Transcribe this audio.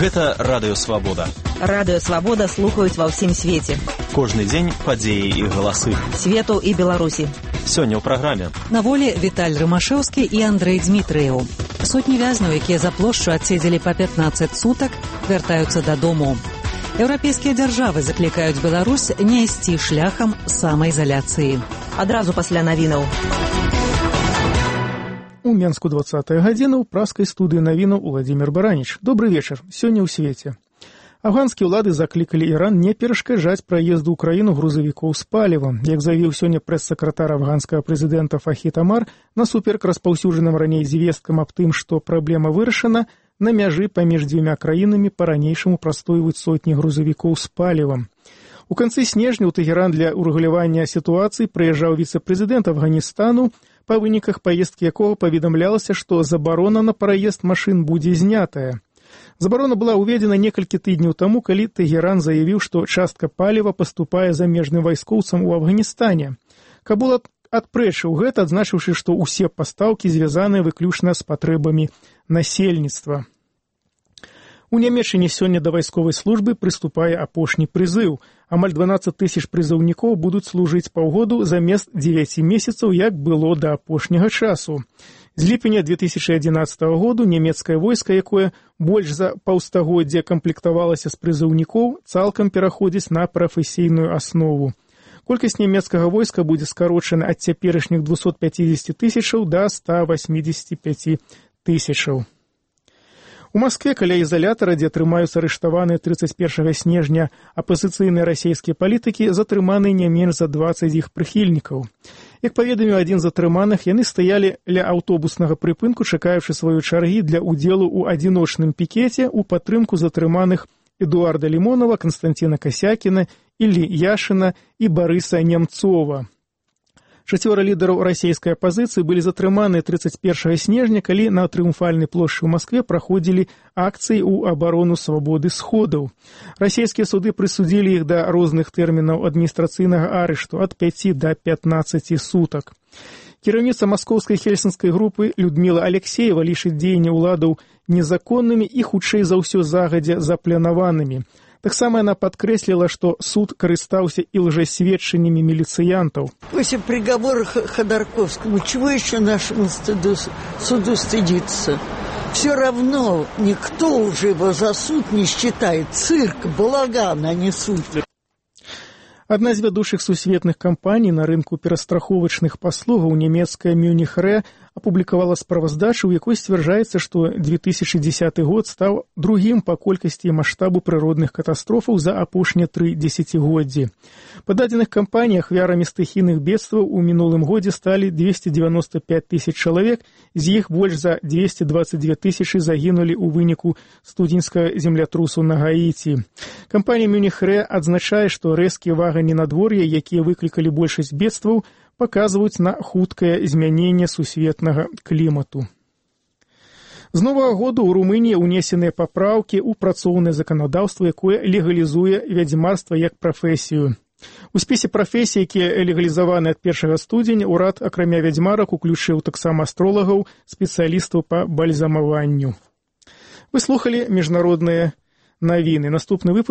Гэта Радыё Свабода. Радыё Свабода слухаюць ва ўсім свеце. Кожны дзень падзеі і галасы. Свету і Беларусі. Сёння ў праграме. На волі Віталь Рымашэўскі і Андрэй Дзмітрыеў. Сотні вязняў, якія за плошчу адседзелі па 15 сутак, вяртаюцца дадому. Еўрапейскія дзяржавы заклікаюць Беларусь не ісці шляхам самаізаляцыі. Адразу пасля навінаў. У Менску 20-я гадзіна ў праскай студыі навінаў Уладзімір Бараніч. Добры вечар. Сёння ў свеце. Афганскія ўлады заклікалі Іран не перашкаджаць праезду ў краіну грузавікоў з палівам. Як заявіў сёння прэс-сакратар афганскага прэзідэнта Фахід Амар, насуперак распаўсюджаным раней звесткам аб тым, што праблема вырашана, на мяжы паміж дзвюма краінамі па-ранейшаму прастойваюць сотні грузавікоў з палівам. У канцы снежня ў Тэгеран для ўрэгулявання сітуацыі прыязджаў віцэ-прэзідэнт Афганістану, па выніках паездкі якога паведамлялася, што забарона на праезд машын будзе знятая. Забарона была ўведзена некалькі тыдняў таму, калі Тэгеран заявіў, што частка паліва паступае замежным вайскоўцам у Афганістане. Кабул адпрэчыў гэта, адзначыўшы, што ўсе пастаўкі звязаныя выключна з патрэбамі насельніцтва. У Нямецчыне сёння да вайсковай службы прыступае апошні прызыў. Амаль 12 тысяч прызыўнікоў будуць служыць паўгоду замест 9 месяцаў, як было да апошняга часу. З ліпеня 2011 году нямецкае войска, якое больш за паўстагоддзя камплектавалася з прызыўнікоў, цалкам пераходзіць на прафесійную аснову. Колькасць нямецкага войска будзе скарочана ад цяперашніх 250 тысячаў да 185 тысячаў. У Маскве каля ізалятара, дзе трымаюцца арыштаваныя 31 снежня апазіцыйныя расійскія палітыкі, затрыманы не менш за 20 іх прыхільнікаў. Як паведаміў адзін з затрыманых, яны стаялі ля аўтобуснага прыпынку, чакаючы сваёй чаргі для ўдзелу ў адзіночным пікеце ў падтрымку затрыманых Эдуарда Лімонова, Канстанціна Касякіна, Іллі Яшына і Барыса Нямцова. 4 лідараў расійскай апазіцыі былі затрыманыя 31 снежня, калі на трыумфальнай плошчы ў Маскве праходзілі акцыі ў абарону свабоды сходаў. Расійскія суды прысудзілі іх да розных тэрмінаў адміністрацыйнага арышту ад 5 да 15 сутак. Кіраўніца маскоўскай хельсінскай групы Людміла Алексеева лічыць дзеянні ўладаў незаконнымі і, хутчэй за ўсё, загадзя запланаванымі. Таксама яна падкрэсліла, што суд карыстаўся і лжесведчаннямі міліцыянтаў. После приговора Ходорковскому, чего еще нашему суду стыдиться? Все равно никто уже его за суд не считает. Цирк, балаган, а не суд. Адна з вядучых сусветных кампаній на рынку перастраховачных паслугаў, нямецкая Мюніх Рэ, апублікавала справаздачу, у якой сцвярджаецца, што 2010 год стаў другім па колькасці і маштабу прыродных катастрофаў за апошнія 3 дзесяцігоддзі. Па дадзеных кампаніях ахвярамі стыхійных бедстваў у мінулым годзе сталі 295 тысяч чалавек, з іх больш за 222 тысячы загінулі ў выніку студзеньскага землятрусу на Гаіці. Кампанія Мюніх Рэ адзначае, што рэзкія ваганні надвор'я, якія выклікалі большасць бедстваў, паказваюць на хуткае змяненне сусветнага клімату. З новага году ў Румыніі ўнесеныя папраўкі ў працоўнае заканадаўства, якое легалізуе вядзьмарства як прафесію. У спісе прафесій, якія легалізаваны ад 1 студзеня, урад, акрамя вядзьмарак, уключыў таксама астролагаў, спецыялістаў па бальзамаванню. Вы слухалі міжнародныя навіны. Наступны выпуск